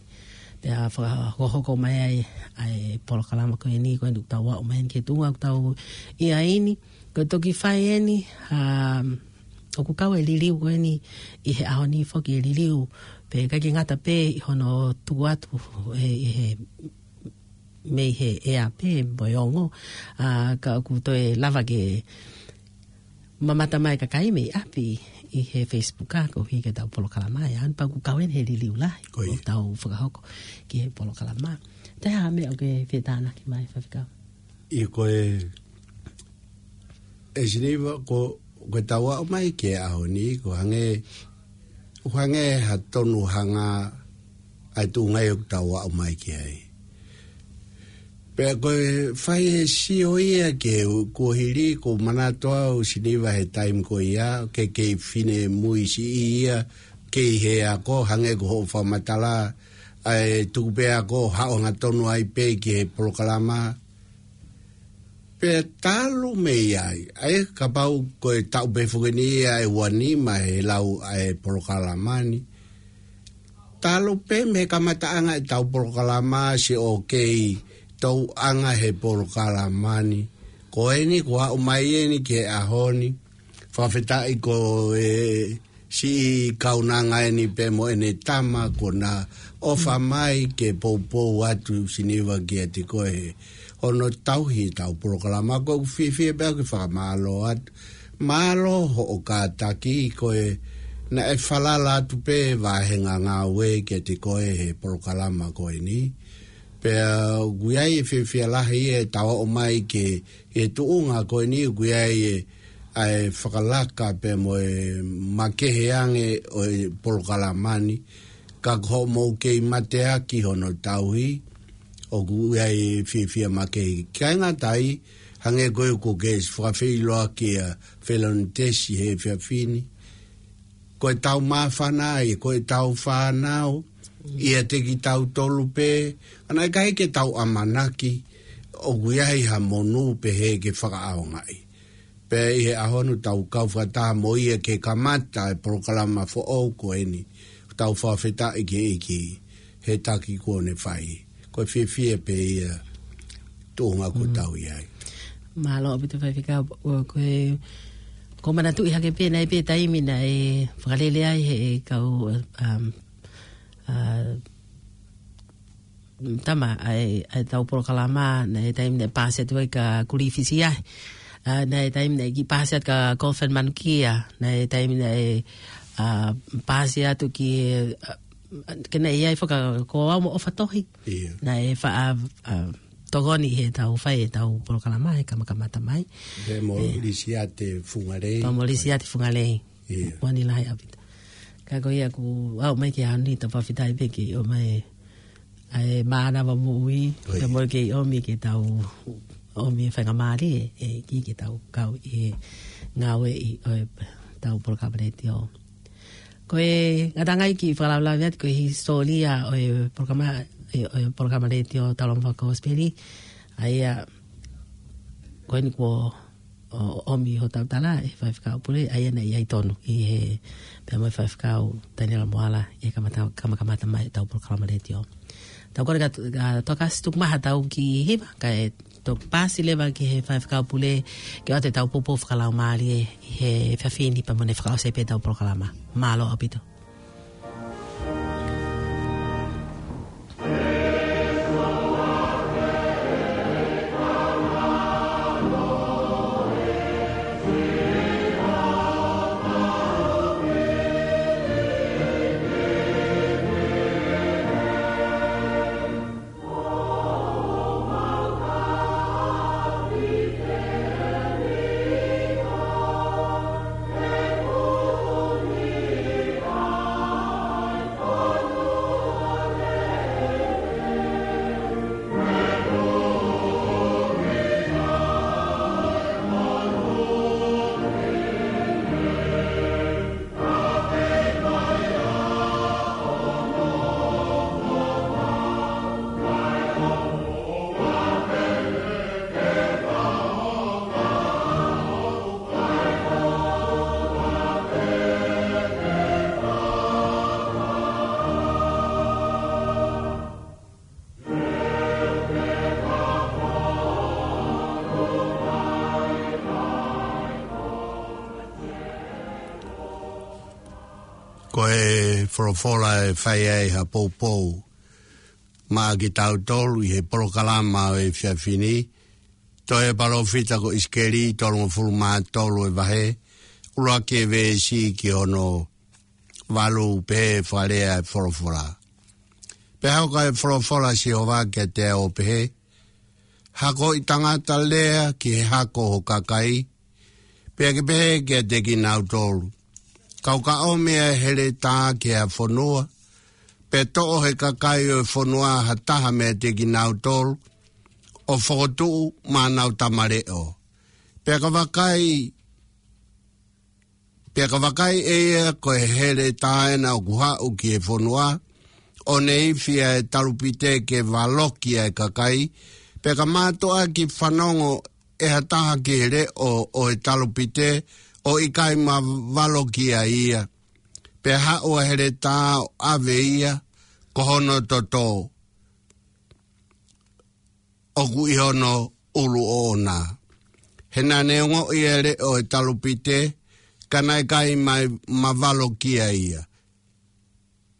Pea fakahokohoko mai ai ʻa e polokalama ko eni, ko eni ʻoku tau aʻu mai eni ki he tuʻunga ʻoku tau ʻi ai ni, ko e toki fai eni, um, ʻoku kau e liliu ko eni ʻi he ʻaho ni foki e liliu, pea ʻikai ke ngata pē ʻi hono tuku atu ʻe, ʻe he, mei he ʻea pē mo e ongo, ʻa, ka ʻoku toe lava ke mamata mai kakai mei ʻapi ʻi he Facebook ʻa koeʻuhi ko e tau polokalama ʻe ʻaho ni pea ʻoku kau eni he liliu lahi ʻoku tau fakahoko ki he polokalama. Toe ha meʻa ʻoku ke fie tānaki mai Faifekau? ʻIo ko e, ʻe Siniva, ko, ko e tau aʻu mai ki he ʻaho ni, ko e hangē, ʻoku hangē ha tonu hanga ʻa e tuʻunga ʻoku tau aʻu mai ki ai. Pea ko e fai e sio ia ki he kuohili, ʻoku ou manatu au Siniva he taimi ko ia, ke kei finemui siʻi ia, kei he ako, hangē ko hoʻo fakamatala, ʻa e tuku pē ako, haʻu hangatonu ai pē ki he polokalama. Pea talu mei ai, ʻa ia kapau ko e taʻu pē foki eni ia ʻe ua nima he lau ʻa e polokalama ni. Talu pē mei he kamataʻanga e tau polokalama siʻi ʻoku kei tauʻanga he polokalama ni. Ko eni kuo aʻu mai eni ki he ʻaho ni. Fakafetaʻi ko e siʻi kaunanga eni pea mo ʻene tama kuo na ʻofa mai ke poupou atu Siniva kiate koe he hono tauhi e tau polokalama. ʻOku ou fiefia pē au ke fakamālō atu. Mālō hoʻo kātaki, ko e naʻe falala atu pē vāhenga ngāue kiate koe he polokalama ko eni. Pea ʻoku ʻi ai e fiefia lahi e tau aʻu mai ki he tuʻunga ko eni, ʻoku ʻi ai e ʻa e fakalaka pea mo e makehe ange ʻo e polokalama ni, ka ko hoʻomou kei mateaki hono tauhi, ʻoku ʻi ai e fiefia makehe. ʻIkai ngata ai, hangē ko ē ʻoku ke fakafeʻiloaki ʻa Felonitesi he efiafi ni. ko ʻetau māfana ai, ko ʻetau fānau, ʻiate kitautolu pē, ʻa ia ʻikai ke tau ʻamanaki ʻoku ʻi ai ha monū pehē ke fakaʻaongaʻi. Pea ʻi he ʻaho ni tau kau fakataha mo ia ke kamata e polokalama foʻou ko eni, tau fakafetaʻi ki he ʻEiki he taki kuo ne fai. Ko e fiefia pē ia tuʻunga ko Mm. tau ʻi ai. Mālō ʻaupito Faifekau, ʻo ko e, ko e manatuʻi hake pē naʻe pē taimi naʻe fakalele ai he kau, um, uh, tama ʻa e, ʻa e tau polokalama, naʻe taimi naʻe pāsi atu ai ka Kulifisi ai. Uh, naʻe taimi naʻe kiʻi pāsi atu ka Kofan Manukia, naʻe taimi naʻe, uh, pāsi atu ki, uh, ke naʻe ʻi ai foki ka ko au mo ʻOfa Tohi. Ia. Naʻe faʻa, uh, tokoni he tau fai e tau polokalama he kamakamata mai. Pea mo Eh. Lisiate Fungalei. Pea mo Lisiate Fungalei. Ia. Moni lahi ʻaupito. Ka ko ia ʻoku aʻu mai ki he ʻaho ni, tau fakafetaʻi pē ke ʻomai ʻa e mānava moʻui, ʻOi. pea mo ke ʻomi ke tau ʻomi e faingamālie, ʻEiki ke tau kau ʻi he ngāueʻi ʻo e tau polokalama letiō. Ko e ngataʻanga ia ke fakalavelave atu ko e hisitōlia ʻo e polokalama, ʻo e polokalama letiō Tau Lava Mo Fakakosipeli, ʻa ia ko eni kuo ʻo, ʻomi hotau tala ʻe he Faifekau Pule, ʻa ia naʻe ʻi ai tonu ʻi he pea mo e Faifekau Taniela Moala ʻi he kamata, kamakamata mai tau polokalama letiō. Tau kole ka, ka toki ʻasi tuku mai ha tau kiʻi hiva, kae toki pāsi leva ki he Faifekau Pule ke ʻoatu e tau poupou fakalaumālie ʻi he efiafi ni pea mo ʻene fakaʻosi pē tau polokalama. Mālō ʻaupito. Ko e folofola ʻe fai ai ha poupou maʻa kitautolu ʻi he polokalama ʻo e efiafi ni, tohi ʻa e palōfita ko ʻIsikeli, tolungofulu mā tolu e vahe, ʻuluaki e veesi ki hono valu, pehē ʻe he fakalea ʻa e folofola. Pea hoko ʻa e folofola ʻa Sihova kiate au ʻo pehē, Hakoʻi tangata, lea ki he hako ʻo ho kakai, pea ke pehē kiate kinautolu, Kau ka ʻomi ʻa e heletā ki ha fonua, pea toʻo ʻe he kakai ʻo e fonua ha taha meiate kinautolu, ʻo fokotuʻu maʻanau tamaleʻo. Pea ka vakai, pea ka vakai ʻe ia ko e heletā ena ʻoku haʻu ki he fonua, ʻo ne ifi ʻa e talupite ke valoki ʻa e kakai, pea ka mātuʻaki fanongo ʻe ha taha ki he leʻo ʻo e talupite, ʻo ʻikai mavaloki ʻa ia, pea haʻu ʻa e heletā ʻo ʻave ia, ko hono toto ʻoku ʻi hono ʻulu ʻoʻona. He naʻa ne ongoʻi ʻa e leʻo ʻo e talupite, ka naʻe ʻikai mai mavaloki ʻa ia,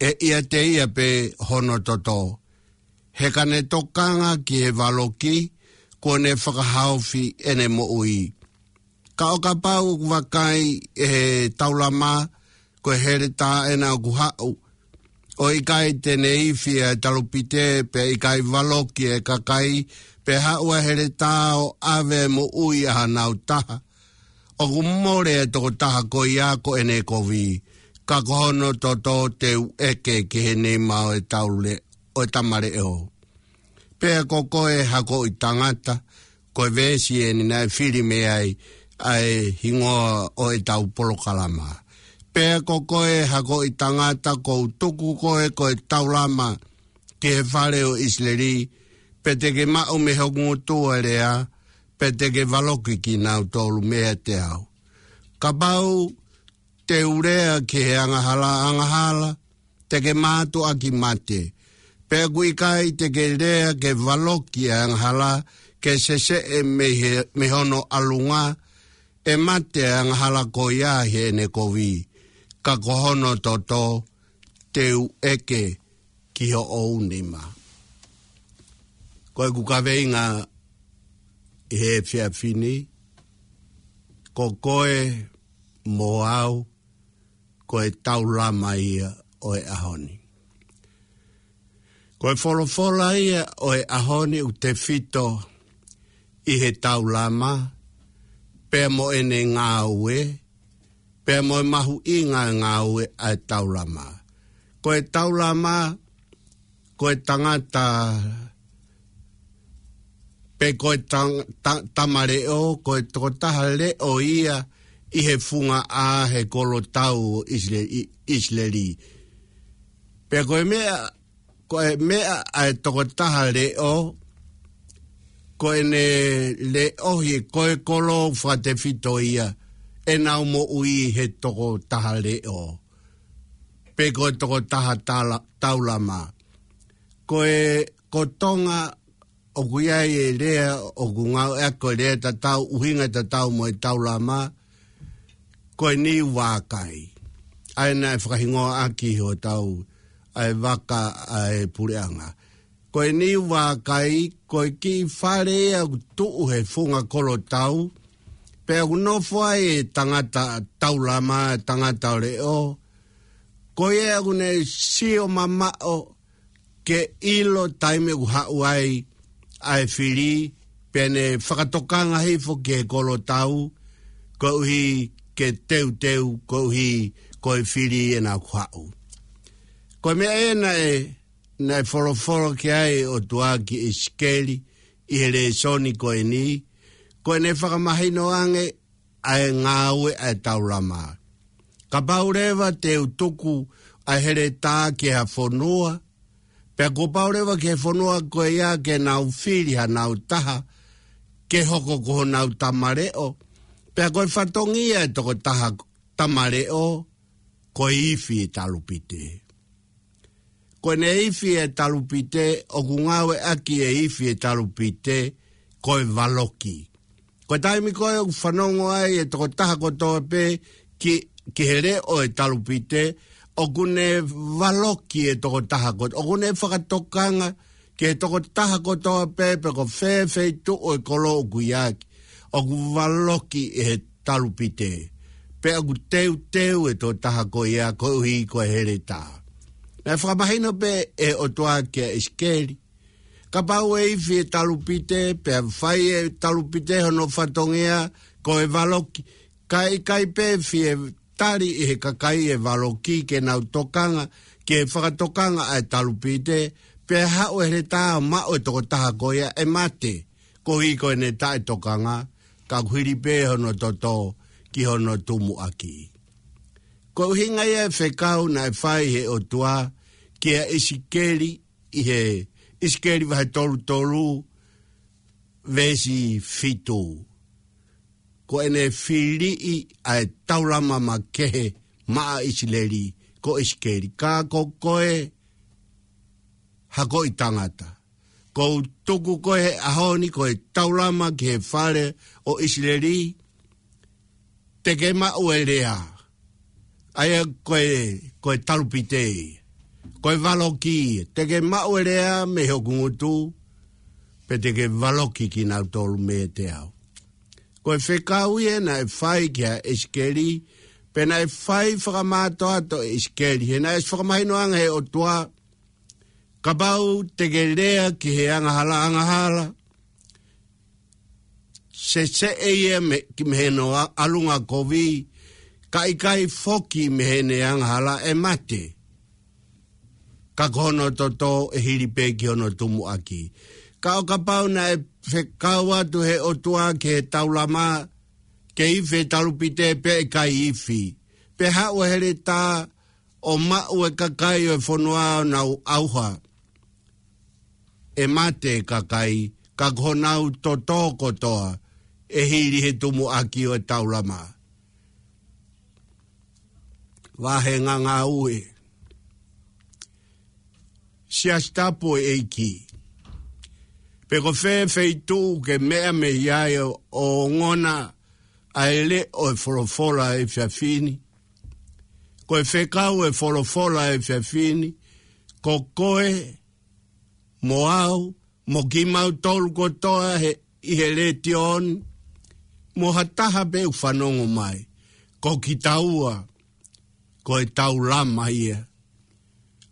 ʻe ʻiate ia pē hono toto. He ka ne tokanga ki he valoki, kuo ne fakahaofi ʻene moʻui. Ka ʻo kapau ʻoku vakai ʻe he taulama, ko e heletā ena ʻoku haʻu, ʻo ʻikai te ne ifi ʻa e talupite, pea ʻikai valoki ʻa e kakai, pea haʻu ʻa e heletā ʻo ʻave moʻui ʻa hanau taha, ʻoku mole ʻa e tokotaha ko ia ko ʻene kovi, ka ko hono toto te u ʻeke ki he nima ʻo e taule-, ʻo e tamaleʻo. Pea ko koe hakoʻi tangata, ko e veesi eni naʻe fili mei ai ʻa e hingoa ʻo e tau polokalama. Pea ko koe, hakoʻi tangata, ʻoku ou tuku koe ko e taulama ki he fale ʻo ʻIsileli, pea te ke maʻu mei hoku ngutu ʻa e lea, pea te ke valoki kinautolu meiate au. Kapau te u lea ki he angahala, angahala, te ke mātuʻaki mate. Pea ʻoku ʻikai te ke lea ke valoki ʻa e angahala, ke seseʻe mei he, mei hono ʻalunga, ʻe mate ʻa e angahala ko ia ʻi heʻene kovi, ka ko hono toto te u ʻeke ki hoʻo nima. Ko ʻeku kaveinga ʻi he efiafi ni, ko koe mo au, ko e taulama ia ʻo e ʻaho ni. Ko e folofola ia ʻo e ʻaho ni ʻoku tefito ʻi he taulama, pea mo ʻene ngāue, pea mo e mahuʻinga ʻa e ngāue ʻa e taulama. Ko e taulama, ko e tangata, pe ko e tang-, ta-, tama leʻo, ko e tokotaha leʻo ia ʻi he funga ʻa he kolotau ʻo ʻIsile-, ʻi-, ʻIsileli. Pea ko e meʻa, ko e meʻa ʻa e tokotaha leʻo, ko ʻene leʻohi ʻe ko e kolo fakatefito ia ʻenau moʻui he tokotaha leʻo, pe ko e tokotaha tala-, taulama. Ko e, ko Tonga ʻoku ʻi ai e lea ʻoku ngāueʻaki ko e lea tatau, ʻuhinga tatau mo e taulama, ko e niu vākai. ʻA ia naʻe fakahingoa ʻaki hotau, ʻa e vaka ʻa e puleʻanga. Ko e niu vākai, ko e kiʻi fale ia ʻoku tuʻu he funga kolotau, pea ʻoku nofo ai e tangata taulama, tangata leʻo. Ko ia ʻoku ne sio mamaʻo ke ʻilo taimi ʻoku haʻu ai ʻa e fili, pea ne fakatokanga hifo ki he kolotau, koeʻuhi ke teuteu, koeʻuhi ko e fili ʻena ʻoku haʻu. Ko e meʻa ʻena ē, naʻe folofola ki ai ʻOtua ki ʻIsikeli ʻi he lēsoni ko eni, ko ʻene fakamahino ange ʻa e ngāue ʻa e taulama. Kapau leva te u tuku ʻa e heletā ki ha fonua, pea kuo pau leva ki he fonua ko ia ke nau fili hanau taha, ke hoko ko honau tama leʻo, pea ko e fatongia e tokotaha tama leʻo, ko e ifi e talupite. Ko ʻene ifi e talupite, ʻoku ngāueʻaki e ifi e talupite, ko e valoki. Ko e taimi ko ē ʻoku fanongo ai e tokotaha kotoa pē ki, ki he leʻo e talupite, ʻoku ne valoki e tokotaha kotoa, ʻoku ne fakatokanga ki he tokotaha kotoa pē, pe ko fē feituʻu e kolo ʻoku ʻi ai, ʻoku valoki ʻe he talupite. Pea ʻoku teuteu e tokotaha ko ia koeʻuhi ko e heletā. Naʻe fakamahino pē ʻe ʻOtua kia ʻIsikeli. Kapau ʻe ifi e talupite, pea fai e talupite hono fatongia, ko e valoki. Ka ʻikai pē fie tali ʻe he kakai e valoki ke nau tokanga, ke fakatokanga ʻa e talupite, pea haʻu e heletā ʻo maʻu e tokotaha ko ia ʻe mate, koeʻuhi ko ʻene taʻetokanga, ka ʻoku hili pē hono toto ki hono tumuʻaki. Ko e ʻuhinga ia e fekau naʻe fai he ʻOtua kia ʻIsikeli ʻi he ʻIsikeli vahe tolu tolu, veesi fitu. Ko ʻene filiʻi ʻa e taulama makehe maʻa ʻIsileli, ko ʻIsikeli, ka ko koe, hakoʻi tangata, ʻoku ou tuku koe he ʻaho ni ko e taulama ki he fale ʻo ʻIsileli, te ke maʻu e lea. ʻA ia ko e, ko e talupite. Ko e valoki. Te ke maʻu e lea mei hoku ngutu, pea te ke valoki kinautolu meiate au. Ko e fekau ia naʻe fai kia ʻIsikeli, pea naʻe fai fakamātoato ʻe ʻIsikeli. He naʻe fakamahino ange he ʻOtua, kapau te ke lea ki he angahala, angahala, seseʻe ia mei, ki mei hono a-, ʻalunga kovi, ka ʻikai foki mei heʻene angahala ʻe mate. Ka ko hono toto ʻe hili pē ki hono tumuʻaki. Ka ʻo kapau naʻe fekau atu he ʻOtua ki he taulama, ke ifi e talupite pea ʻikai ifi. Pea haʻu e heletā ʻo maʻu e kakai ʻo e fonua ʻo nau ʻauha. ʻE mate e kakai, ka ko honau totō kotoa ʻe hili he tumuʻaki ʻo e taulama. Vahe ngangāue. Siasi Tapu ʻo e ʻEiki. Pe ko fē feituʻu ke meʻa mei ai ʻo ongona ʻa e leʻo ʻo e folofola ʻo e efiafi ni. Ko e fekau ʻo e folofola ʻo e efiafi ni, ko koe, mo au, mo kimautolu kotoa he, ʻi he letiō ni, mo ha taha pē ʻoku fanongo mai, ko kitaua, ko e taulama ia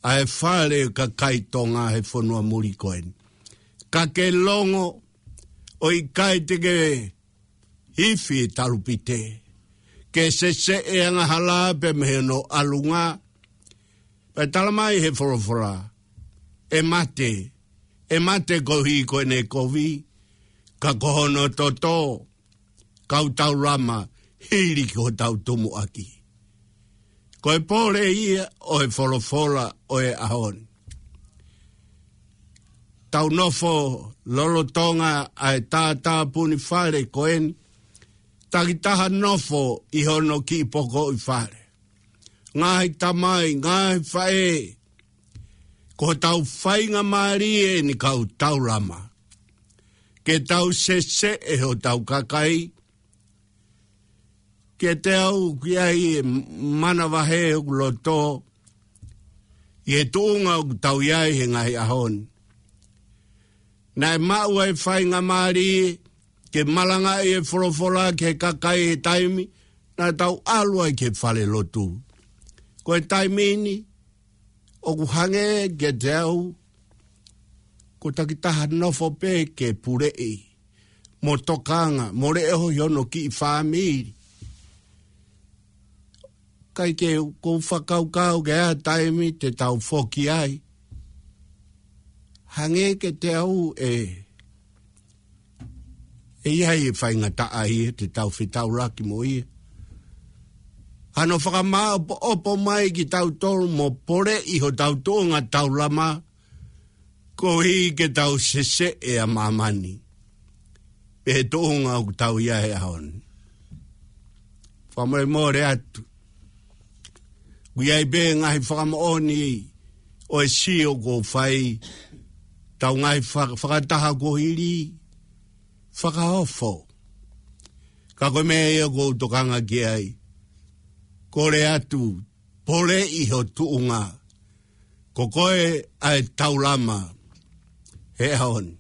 ʻa e fale ʻo e kakai Tonga he fonua muli ko eni. Ka ke longo, ʻo ʻikai te ke ifi e talupite, ke seseʻe angahala pē mei hono ʻalunga. Pea talamai he folofola, ʻe mate, ʻe mate koeʻuhi ko ʻene kovi, ka ko hono totō, kau taulama hili ki hotau tumuʻaki. Ko e pole ia ʻo e folofola ʻo e ʻaho ni. Tau nofo lolotonga ʻa e tātāpuni fale ko eni, takitaha nofo ʻi hono kiʻi pokoʻi fale. Ngaahi tamai, ngaahi faʻē, ko hotau faingamālie eni kau taulama ke tau seseʻe hotau kakai, ke tau ʻi ai e manavahē ʻoku loto ʻi he tuʻunga ʻoku tau ʻi ai he ngaahi ʻaho ni. Naʻe maʻu ai e faingamālie ke malangaʻi e folofola ki he kakai he taimi naʻa tau ʻalu ai ki he falelotu. Ko e taimi ni, ʻoku hangē kiate au, ko takitaha nofo pē ke puleʻi, mo tokanga, mo leʻohi hono kiʻi fāmili. Kae ke ʻoku ou fakakaukau ke ʻi ai ha taimi te tau foki ai. Hangē kiate au ʻe, ʻe ʻi ai e faingataʻa ia te tau fetaulaki mo ia. Hano fakamāʻopoʻopo mai kitautolu mo poleʻi hotau tuʻunga taulama, koeʻuhi ke tau seseʻe ʻa māmani pē he tuʻunga ʻoku tau ʻi ai he ʻaho ni. Fakamolemole atu. ʻOku ʻi ai pē ngaahi fakamoʻoni ʻo e sio ʻoku ou fai, tau ngaahi fa-, fakataha kuo hili, fakaofo. Ka ko e meʻa ia ʻoku ou tokanga ki ai. Kole atu, poleʻi ho tuʻunga. Ko koe ʻa e taulama he ʻaho ni.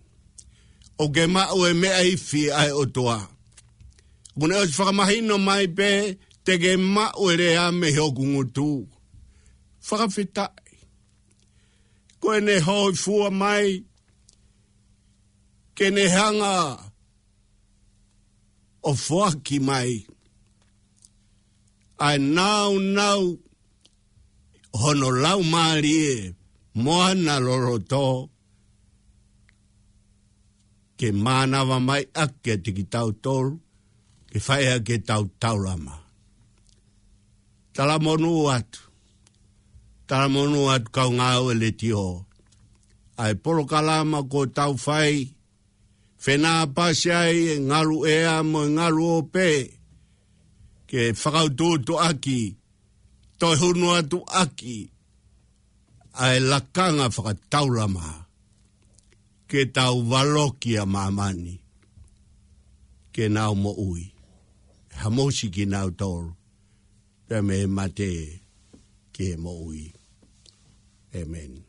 ʻOku ke maʻu e meʻa ifi ʻa e ʻOtua. ʻOku ne ʻosi fakamahino mai pē te ke maʻu e lea mei hoku ngutu. Fakafetaʻi. Ko ʻene hōifua mai, ke ne hanga ʻo foaki mai ʻa e nāunau hono laumālie mo ana loloto, ke mānava mai ʻaki kiate kitautolu, ke fai ʻaki ʻetau taulama. Talamonū atu, talamonū atu kau ngāue letiō, ʻa e polokalama ʻoku tau fai, fenāpasi ai e ngalu ʻea mo e ngalu ope, ke fakautuutuʻaki, toe hunu atu ʻaki ʻa e lakanga fakataulama, ke tau valoki ʻa māmani, ke nau moʻui. Hamusi kinautolu pea mei he mate ki he moʻui. ʻĒmeni.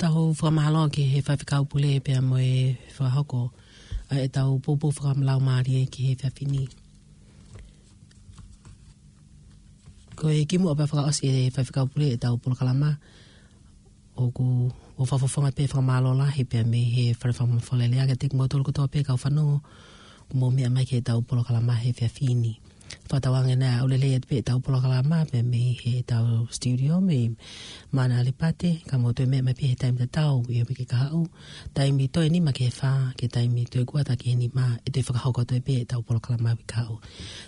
Tau fakamālō ki he faifekau pule pea mo e fakahoko ʻa ʻetau poupou fakalaumālie ki he efiafi ni. Ko e kimuʻa pea fakaʻosi ʻe he faifekau pule ʻetau polokalama, ʻoku ou fakafofonga pē fakamālō lahi pea mei he Fale Fakamafola ʻo e Lea kiate kimoutolu kotoa pē kau fanongo, kuo mou meʻa mai ki heʻetau polokalama he efiafi ni. Fakatauange naʻa ʻoku lelei atu pē ʻetau polokalama pē mei heʻetau studio mei Mana Alipate, ka mou toe meʻa mai pē he taimi tatau ʻi he uike kahaʻu. Taimi toe nima ki he fā, ki he taimi toe kuata ki he nima, ʻe toe fakahoko atu pē ʻetau polokalama uike kahaʻu.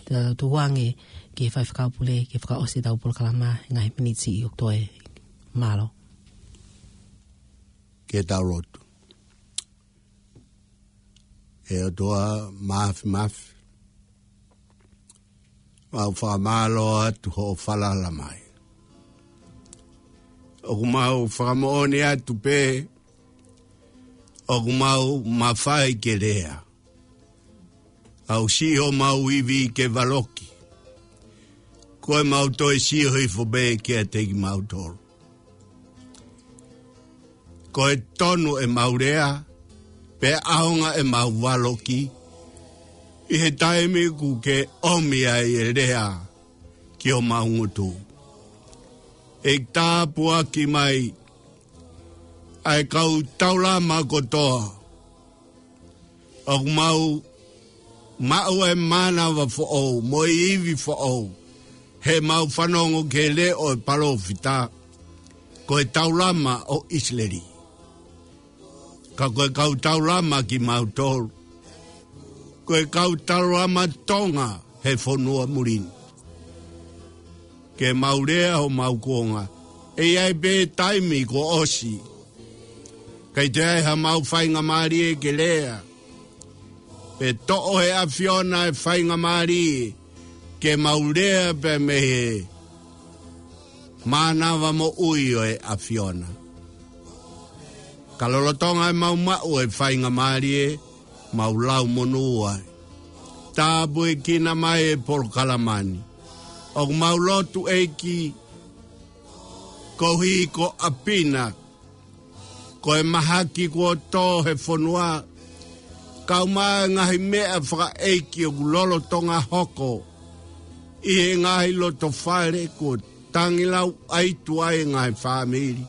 Te tau tuku ange ki he faifekau pule, ke fakaʻosi ʻetau polokalama, ngaahi miniti ʻoku toe mālō. Ke tau lotu. ʻE ʻOtua Māfimafi, mau fakamālō atu hoʻo falala mai. ʻOku mau fakamoʻoni atu pē, ʻoku mau mafai ke lea. Aʻu siʻi homau ivi ke valoki. Ko e mau toe sio hifo pē kiate kimautolu. Ko e tonu ʻemau lea, pea ʻaonga ʻemau valoki, ʻi he taimi ʻoku ke ʻomi ai e lea ki homau ngutu. ʻEiki tāpuaki mai ʻa e kau taulama kotoa, ʻoku mau maʻu e mānava foʻou, mo e ivi foʻou, heʻemau fanongo ki he leʻo e palōfita, ko e taulama ʻo ʻIsileli. Ka ko e kau taulama kimautolu, ko e kau taulama Tonga he fonua muli ni. Ke mau lea homau kuonga, ʻe ʻi ai pē taimi kuo ʻosi. Kae ʻi ai haʻamau faingamālie ke lea. Pea toʻo ʻe he ʻAfiona e faingamālie ke mau lea pē mei he mānava moʻui ʻo e ʻAfiona. Ka lolotonga ʻemau maʻu e faingamālie, mau lau monū ai. Tāpuekina mai e polokalama ni. ʻOku mau lotu ʻEiki, koeʻuhi ko ʻApina, ko e mahaki kuo tō he fonua, kae ʻumaʻā e ngaahi meʻa fakaʻeiki ʻoku lolotonga hoko ʻi he ngaahi loto fale kuo tangilauʻaitu ai e ngaahi fāmili.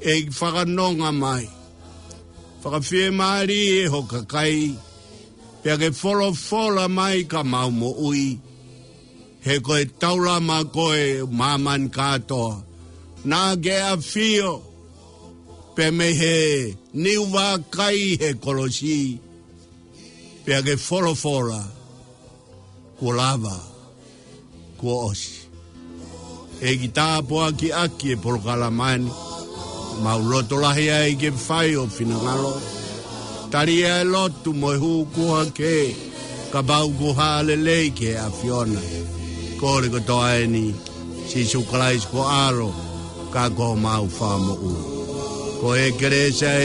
ʻEiki fakanonga mai. Fakafiemālie ho kakai, pea ke folofola mai ka mau moʻui. He ko e taulama koe māmani kātoa. Naʻa ke ʻafio pē mei he niu vākai he kolosi. Pea ke folofola, kuo lava, kuo ʻosi. ʻEiki tāpuakiʻaki e polokalama ni, mau loto lahi ai ke fai ho finangalo. Tali ʻa e lotu mo e hū kuo hake, kapau kuo hā lelei ki he ʻAfiona. Kole kotoa eni, Sīsū Kalaisi ko ho ʻAlo, ka ko homau Fakamoʻui. Ko e kelesi ʻa e